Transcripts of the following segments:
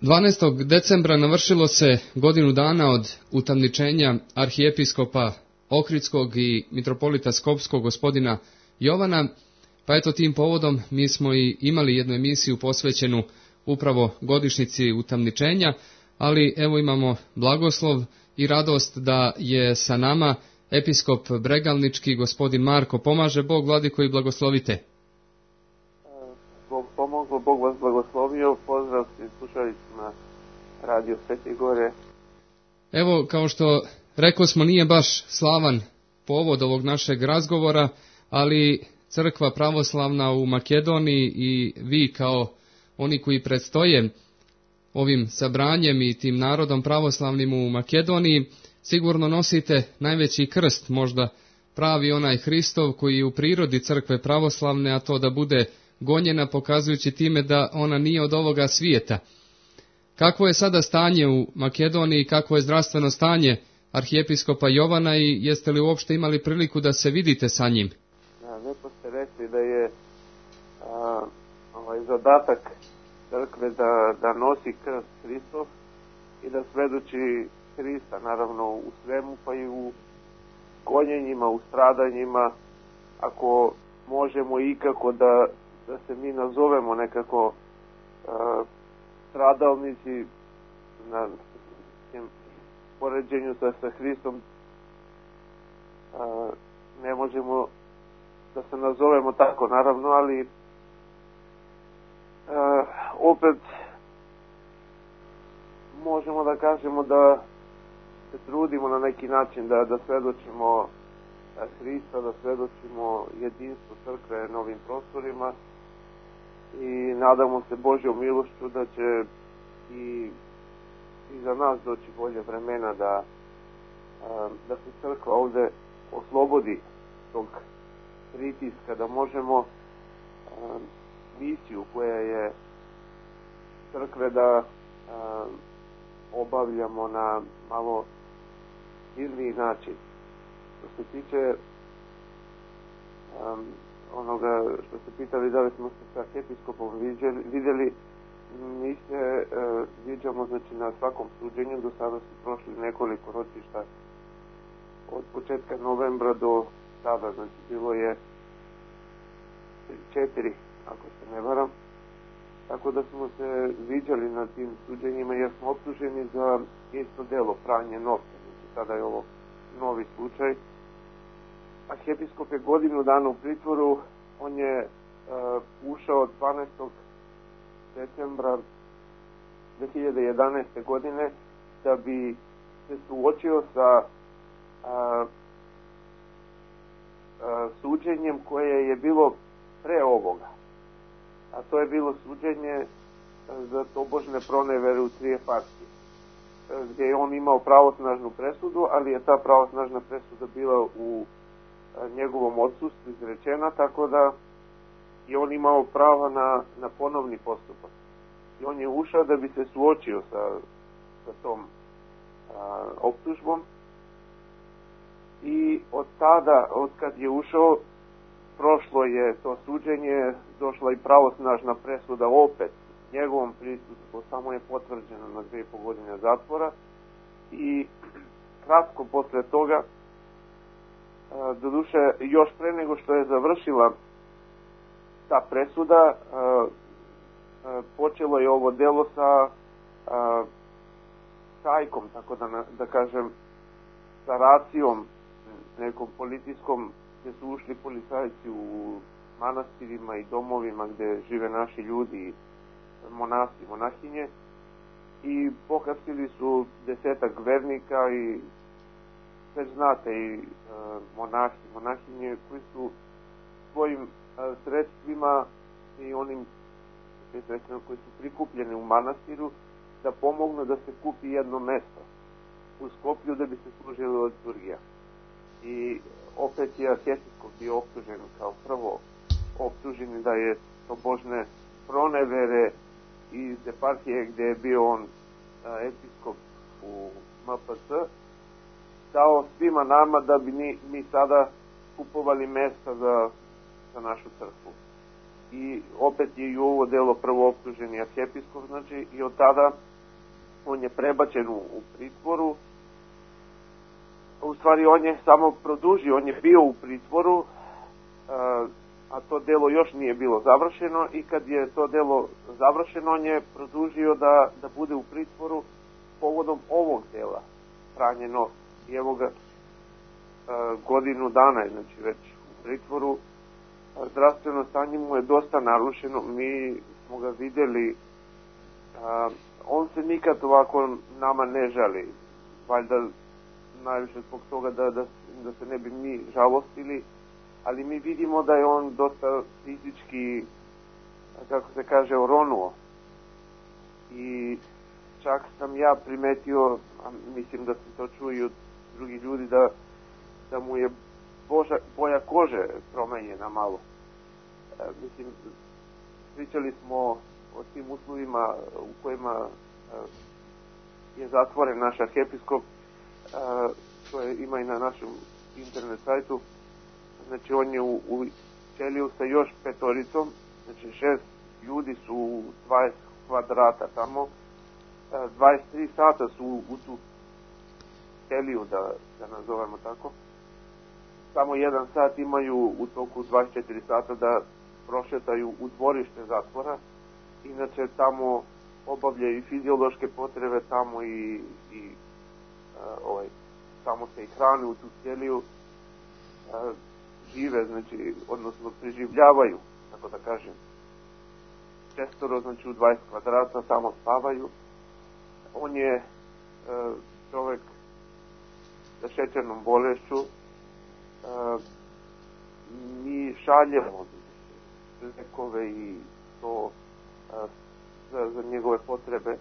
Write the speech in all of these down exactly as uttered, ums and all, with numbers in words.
dvanaestog decembra navršilo se godinu dana od utamničenja arhijepiskopa Ohridskog i mitropolita Skopskog gospodina Jovana, pa eto tim povodom mi smo i imali jednu emisiju posvećenu upravo godišnjici utamničenja, ali evo imamo blagoslov i radost da je sa nama episkop Bregalnički gospodin Marko. Pomaže Bog, vladiko, i blagoslovite. Bog pomoglo, Bog vas blagoslovio. Pozdrav svim slušalicima Radio Svete Gore. Evo, kao što rekao smo, nije baš slavan povod ovog našeg razgovora, ali crkva pravoslavna u Makedoniji i vi kao oni koji predstoje ovim sabranjem i tim narodom pravoslavnim u Makedoniji, sigurno nosite najveći krst, možda pravi onaj Hristov koji je u prirodi crkve pravoslavne, a to da bude gonjena, pokazujući time da ona nije od ovoga svijeta. Kakvo je sada stanje u Makedoniji, kakvo je zdravstveno stanje arhijepiskopa Jovana i jeste li uopšte imali priliku da se vidite sa njim? Da, lijepo ste rekli da je a, ovaj zadatak crkve da, da nosi krst Hristov i da svedoči Hrista, naravno u svemu, pa i u gonjenjima, u stradanjima, ako možemo ikako da, da se mi nazovemo nekako a, stradalnici na tim poređenju sa, sa Hristom, a, ne možemo da se nazovemo tako, naravno, ali a, opet možemo da kažemo da se trudimo na neki način da, da svedočimo Hrista, da svedočimo jedinstvo crkve na ovim prostorima i nadamo se Božjom milošću da će i, i za nas doći bolje vremena da, da se crkva ovde oslobodi tog pritiska, da možemo misiju koja je crkve da obavljamo na malo silniji način. Što se tiče um, onoga što ste pitali da li smo se sa arhijepiskopom vidjeli, mi se uh, viđamo znači, na svakom suđenju. Do sada su prošli nekoliko ročišta od početka novembra do sada, znači bilo je četiri, ako se ne varam. Tako da smo se viđali na tim suđenjima jer smo optuženi za isto delo, pranje novca. Znači sada je ovo novi slučaj. Arhijepiskop je godinu dana u pritvoru. On je uh, ušao dvanaestog decembra dve hiljade jedanaeste. godine da bi se suočio sa uh, uh, suđenjem koje je bilo pre ovoga. A to je bilo suđenje za tobožne pronevere u Trijefarskih, gdje je on imao pravosnažnu presudu, ali je ta pravosnažna presuda bila u njegovom odsustvu izrečena, tako da je on imao pravo na, na ponovni postupak. I on je ušao da bi se suočio sa, sa tom a, optužbom i od tada, od kad je ušao, prošlo je to suđenje, došla i pravosnažna presuda opet njegovom prisustvu, samo je potvrđeno na dve i po godine zatvora i kratko posle toga, doduše još pre nego što je završila ta presuda, počelo je ovo delo sa šajkom, tako da, da kažem, sa racijom nekom policijskom, gdje su ušli policajci u manastirima i domovima gdje žive naši ljudi, monasi, monahinje, i pohapsili su desetak vernika i već znate i e, monahi, monahinje koji su svojim e, sredstvima i onim sredstvima koji su prikupljeni u manastiru da pomognu da se kupi jedno mesto u Skoplju da bi se služilo liturgija. I opet je arhijepiskop bio optužen kao prvo optužen da je tobožne pronevere iz eparhije gdje je bio on a, episkop u M P C dao svima nama da bi mi, mi sada kupovali mesta za, za našu crkvu. I opet je i ovo delo prvo optuženi arhijepiskop, znači i od tada on je prebačen u, u pritvoru. U stvari on je samo produžio, on je bio u pritvoru, a to delo još nije bilo završeno, i kad je to delo završeno, on je produžio da, da bude u pritvoru povodom ovog dela, pranje novca. I evo ga, godinu dana je, znači, već u pritvoru. Zdravstveno stanje mu je dosta narušeno, mi smo ga vidjeli, on se nikad ovako nama ne žali, valjda najviše zbog toga da, da, da se ne bi mi žalostili, ali mi vidimo da je on dosta fizički, kako se kaže, oronuo. I čak sam ja primetio, a mislim da se to čuje od drugih ljudi, da, da mu je boža, boja kože promenjena malo. E, mislim, pričali smo o tim uslovima u kojima e, je zatvoren naš arhijepiskop, to je, ima i na našem internet sajtu. Znači, on je u, u ćeliju sa još petoricom, znači šest ljudi su u dvadeset kvadrata tamo, dvadeset tri sata su u, u tu ćeliju, da, da nazovemo tako. Samo jedan sat imaju u toku dvadeset četiri sata da prošetaju u dvorište zatvora. Inače, tamo obavljaju i fiziološke potrebe tamo i, i Uh, ovaj, tamo se i hrane u tu ćeliju, uh, žive, znači, odnosno preživljavaju, tako da kažem. Šestoro, znači, u dvadeset kvadrata tamo spavaju. On je uh, čovek sa šećernom bolešću. Uh, mi šaljemo lekove i to uh, za, za njegove potrebe.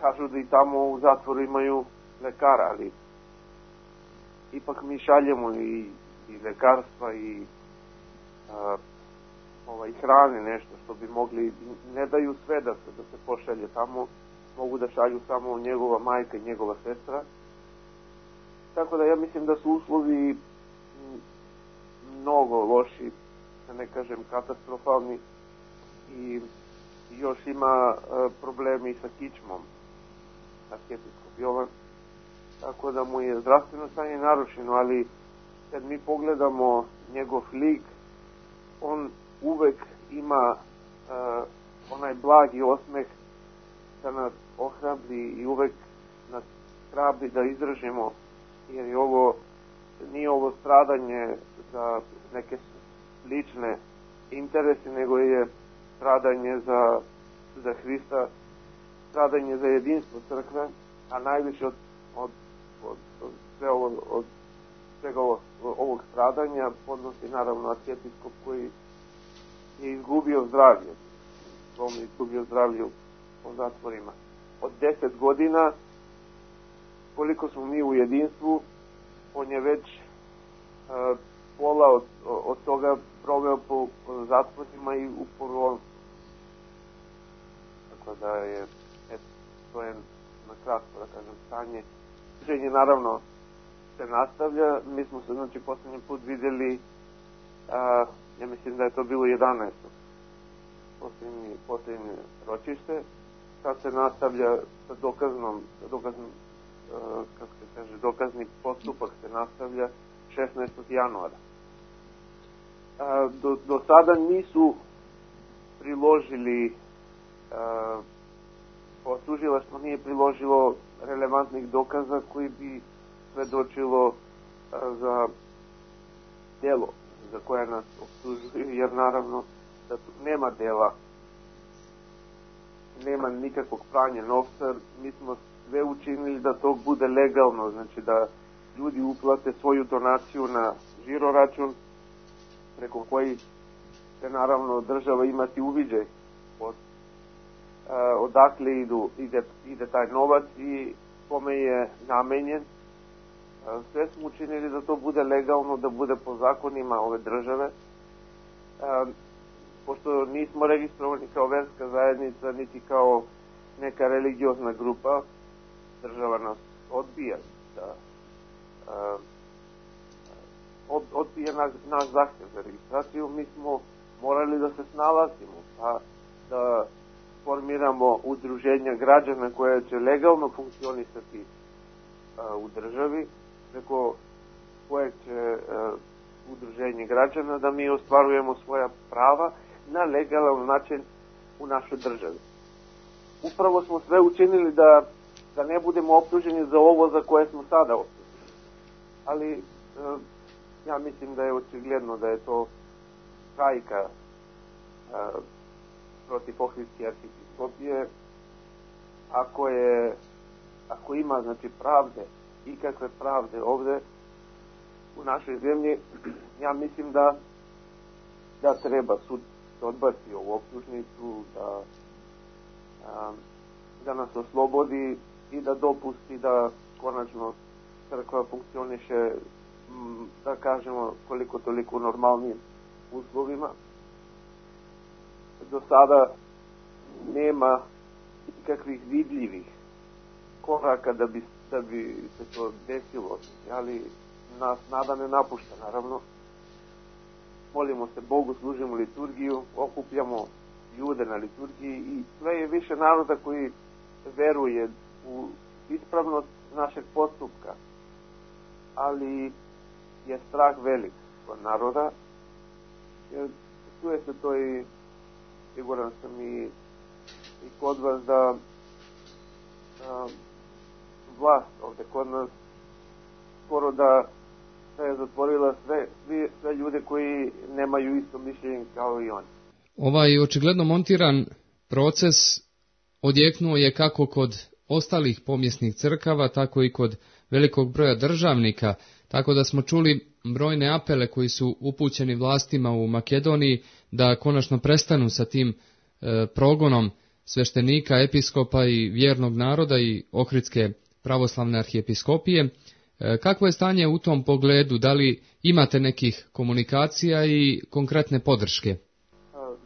Kažu da i tamo u zatvoru imaju lekara, ali ipak mi šaljemo i, i lekarstva i a, ovaj, hrane, nešto što bi mogli, ne daju sve da se, da se pošalje tamo, mogu da šalju samo njegova majka i njegova sestra. Tako da ja mislim da su uslovi mnogo loši, da ne kažem katastrofalni, i još ima a, problemi sa kičmom arhijepiskop Jovan, tako da mu je zdravstveno stanje narušeno, ali kad mi pogledamo njegov lik, on uvek ima uh, onaj blagi osmeh da nas ohrabri i uvek nas hrabri da izdržimo, jer je ovo, nije ovo stradanje za neke lične interese, nego je stradanje za, za Hrista, stradanje za jedinstvo crkve, a najviše od, od, od, od, sve ovo, od svega ovog, ovog stradanja podnosi naravno arhijepiskop koji je izgubio zdravlje. On je izgubio zdravlje po zatvorima. Od deset godina, koliko smo mi u jedinstvu, on je već uh, pola od, od toga proveo po, po zatvorima i u porolu. Tako da je, et, to je na kratko, da kažem, stanje. Učenje naravno se nastavlja. Mi smo se, znači, poslednji put vidjeli, a, ja mislim da je to bilo jedanaestog Poslednji, poslednje ročište. Sad se nastavlja sa dokaznom, sa dokaznom, a, kako se kaže, dokazni postupak se nastavlja šesnaestog januara. A, do, do sada nisu priložili, a, tužilaštvo nije priložilo relevantnih dokaza koji bi svedočilo a, za delo za koje nas optužuju, jer naravno da tu nema dela, nema nikakvog pranja novca. Mi smo sve učinili da to bude legalno, znači da ljudi uplate svoju donaciju na žiro račun, preko koji će naravno država imati uviđaj od Uh, odakle idu, ide, ide taj novac i kome je namenjen. Uh, sve smo učinili da to bude legalno, da bude po zakonima ove države. Uh, pošto nismo registrovani kao verska zajednica, niti kao neka religiozna grupa, država nas odbija da uh, od, odbija naš, naš zahtjev za registraciju. Mi smo morali da se snalazimo, pa da formiramo udruženja građana koja će legalno funkcionisati a, u državi, preko kojeg će a, udruženje građana da mi ostvarujemo svoja prava na legalan način u našoj državi. Upravo smo sve učinili da, da ne budemo optuženi za ovo za koje smo sada optuženi. Ali e, ja mislim da je očigledno da je to hajka e, protiv Ohridske arhijepiskopije. Ako je, ako ima znači pravde, ikakve pravde ovde u našoj zemlji, ja mislim da da treba sud odbaci ovu optužnicu, da a, da nas oslobodi i da dopusti da konačno crkva funkcioniše, da kažemo, koliko toliko u normalnim uslovima. Do sada nema ikakvih vidljivih koraka da bi, da bi se to desilo, ali nas nada ne napušta, naravno. Molimo se Bogu, služimo liturgiju, okupljamo ljude na liturgiji i sve je više naroda koji veruje u ispravnost našeg postupka, ali je strah velik kod naroda, jer čuje se to i siguran sam i, i kod vas da a, vlast ovde kod nas skoro da je zatvorila sve, sve, sve ljude koji nemaju isto mišljenje kao i oni. Ovaj očigledno montiran proces odjeknuo je kako kod ostalih pomjesnih crkava, tako i kod velikog broja državnika, tako da smo čuli brojne apele koji su upućeni vlastima u Makedoniji da konačno prestanu sa tim e, progonom sveštenika, episkopa i vjernog naroda i Ohridske pravoslavne arhijepiskopije. E, kakvo je stanje u tom pogledu? Da li imate nekih komunikacija i konkretne podrške?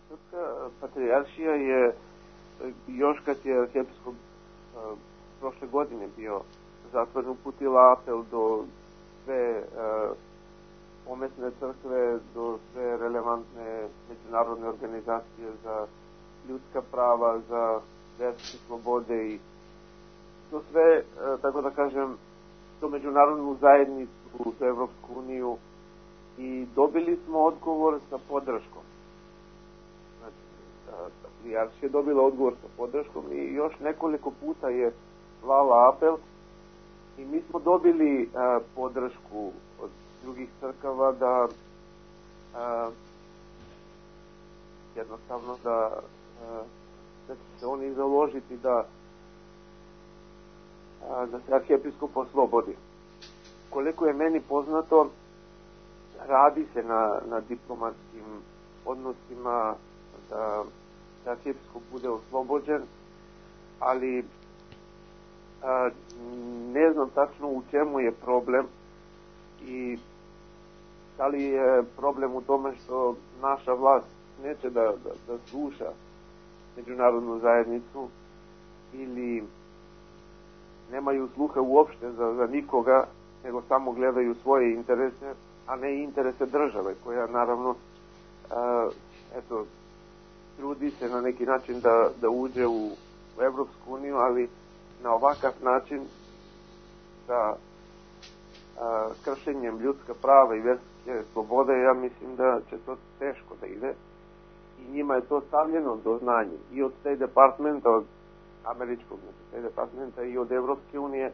Srpska patrijaršija je, još kad je arhijepiskop prošle godine bio zatvoren, uputila apel do sve uh, pomesne crkve, do sve relevantne međunarodne organizacije za ljudska prava, za verske slobode i to sve, uh, tako da kažem, to međunarodnu zajednicu, za Evropsku uniju, i dobili smo odgovor sa podrškom. Znači, patrijaršija je dobila odgovor sa podrškom i još nekoliko puta je slala apel i mi smo dobili a, podršku od drugih crkava da a, jednostavno da, a, da će se oni založiti da, a, da se arhijepiskop oslobodi. Koliko je meni poznato, radi se na, na diplomatskim odnosima da, da arhijepiskop bude oslobođen, ali a, ne znam tačno u čemu je problem i da li je problem u tome što naša vlast neće da, da, da sluša međunarodnu zajednicu ili nemaju sluha uopšte za, za nikoga, nego samo gledaju svoje interese, a ne interese države, koja naravno a, eto, trudi se na neki način da, da uđe u, u Evropsku uniju, ali na ovakav način sa a, kršenjem ljudska prava i verske slobode, ja mislim da će to teško da ide i njima je to stavljeno do znanja i od State Departmenta, od američkog State Departmenta i od Evropske unije.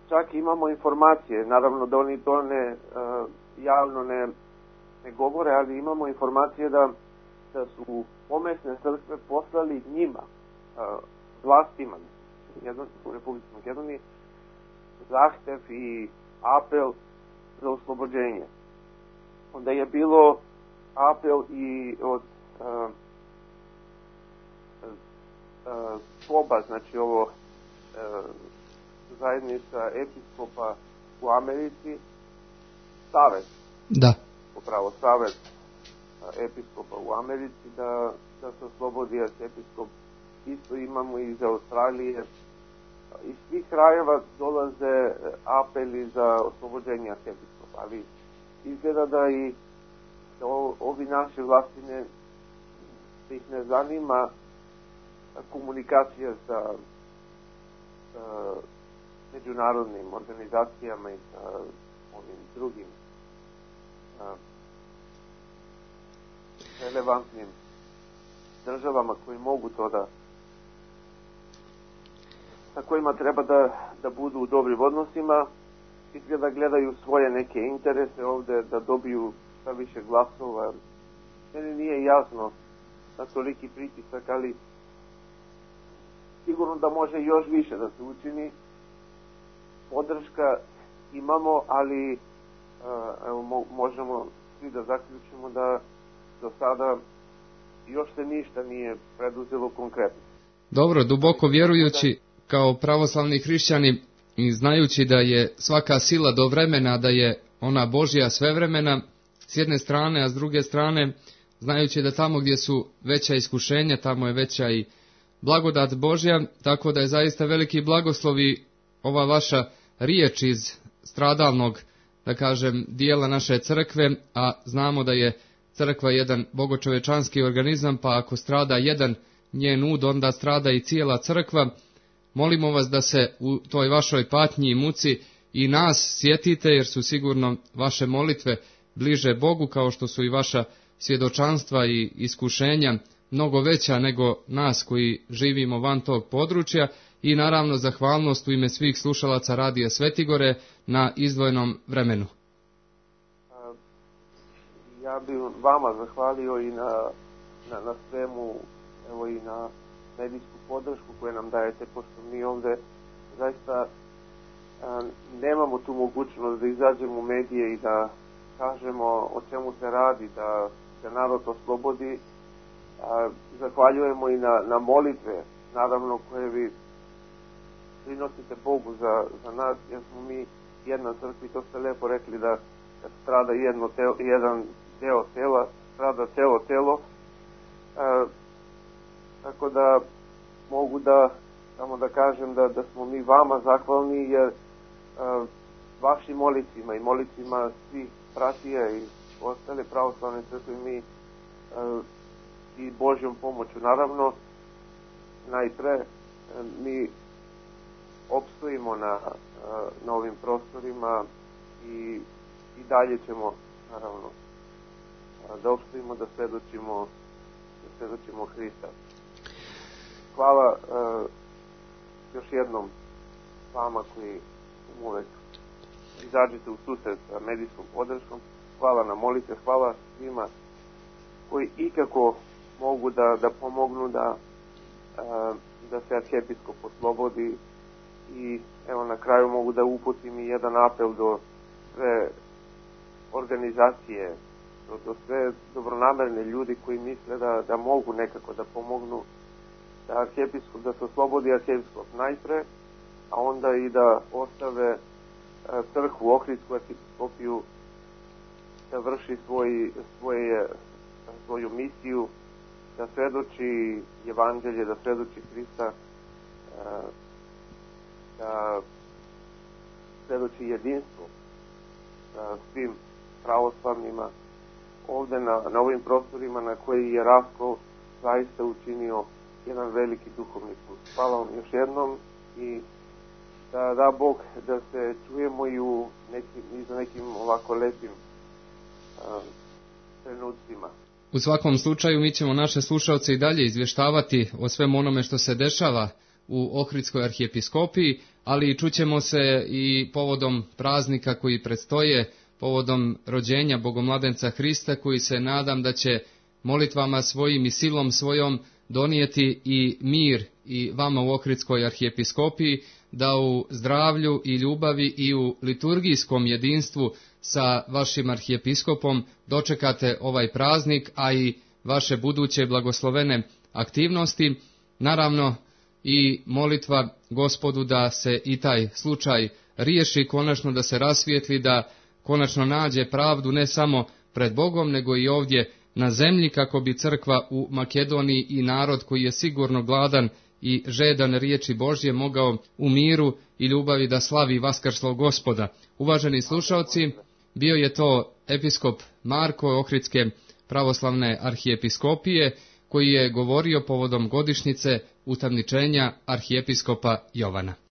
Čak imamo informacije, naravno da oni to ne a, javno ne, ne govore, ali imamo informacije da, da su pomesne crkve poslali njima, a, vlastima u Republici Makedoniji, zahtev i apel za oslobođenje. Onda je bilo apel i od uh, uh, Poba, znači ovo uh, zajednica episkopa u Americi, savez, da. upravo savez uh, episkopa u Americi, da, da se oslobodi episkop. Isto imamo iz Australije. Iz svih krajeva dolaze apeli za oslobođenje arhijepiskopa, ali izgleda da i da ovi naši vlasti ne, ih ne zanima komunikacija sa, sa međunarodnim organizacijama i sa ovim drugim a, relevantnim državama koji mogu to da, sa kojima treba da, da budu u dobrim odnosima i da gledaju svoje neke interese ovde, da dobiju šta više glasova. Meni nije jasno na toliki pritisak, ali sigurno da može još više da se učini. Podrška imamo, ali evo, možemo svi da zaključimo da do sada još se ništa nije preduzelo konkretno. Dobro, duboko vjerujući kao pravoslavni hrišćani i znajući da je svaka sila do vremena, da je ona Božja svevremena s jedne strane, a s druge strane znajući da tamo gdje su veća iskušenja, tamo je veća i blagodat Božja, tako da je zaista veliki blagoslov i ova vaša riječ iz stradalnog, da kažem, dijela naše crkve, a znamo da je crkva jedan bogočovečanski organizam, pa ako strada jedan njen ud, onda strada i cijela crkva. Molimo vas da se u toj vašoj patnji i muci i nas sjetite, jer su sigurno vaše molitve bliže Bogu, kao što su i vaša svjedočanstva i iskušenja mnogo veća nego nas koji živimo van tog područja, i naravno zahvalnost u ime svih slušalaca Radija Svetigore na izdvojenom vremenu. Ja bih vama zahvalio i na, na, na svemu, evo i na medijsku podršku koju nam dajete, pošto mi ovde zaista a, nemamo tu mogućnost da izađemo u medije i da kažemo o čemu se radi, da se narod oslobodi. A, zahvaljujemo i na, na molitve, naravno, koje vi prinosite Bogu za, za nas, jer smo mi jedna crkva i to ste lepo rekli da kad strada jedno telo, jedan deo tela, strada celo telo. A, tako da mogu da samo da kažem da, da smo mi vama zahvalni, jer a, vašim molicima i molicima svih bratija i ostale pravoslavne crkve mi a, i Božjom pomoću naravno najpre a, mi opstojimo na, a, na ovim prostorima i, i dalje ćemo naravno a, da opstojimo, da svedočimo da svedočimo Hrista. Hvala a, još jednom vama koji uvek izađete u susret sa medijskom podrškom. Hvala na molitve, hvala svima koji ikako mogu da, da pomognu da, a, da se arhijepiskop oslobodi. I evo na kraju mogu da uputim i jedan apel do sve organizacije, do, do sve dobronamerne ljudi koji misle da, da mogu nekako da pomognu da arhijepiskop, da se oslobodi arhijepiskop najpre, a onda i da ostave a, crkvu, Ohridsku arhijepiskopiju da vrši svoj, svoje, svoju misiju, da svedoči evanđelje, da svedoči Hrista, a, da svedoči jedinstvo sa svim pravoslavnima ovde na, na ovim prostorima na koji je Rasko zaista učinio jedan veliki duhovni put. Hvala vam još jednom i da da Bog da se čujemo i u nekim, i za nekim ovako lepim a, trenucima. U svakom slučaju mi ćemo naše slušalce i dalje izvještavati o svemu onome što se dešava u Ohridskoj arhijepiskopiji, ali čućemo se i povodom praznika koji predstoje, povodom rođenja Bogomladenca Hrista, koji se nadam da će molitvama svojim i silom svojom donijeti i mir i vama u Ohridskoj arhijepiskopiji, da u zdravlju i ljubavi i u liturgijskom jedinstvu sa vašim arhijepiskopom dočekate ovaj praznik, a i vaše buduće blagoslovene aktivnosti. Naravno, i molitva Gospodu da se i taj slučaj riješi, konačno da se rasvijetli, da konačno nađe pravdu ne samo pred Bogom, nego i ovdje na zemlji, kako bi crkva u Makedoniji i narod koji je sigurno gladan i žedan riječi Božje mogao u miru i ljubavi da slavi vaskrslog Gospoda. Uvaženi slušalci, bio je to episkop Marko Ohridske pravoslavne arhijepiskopije, koji je govorio povodom godišnjice utamničenja arhijepiskopa Jovana.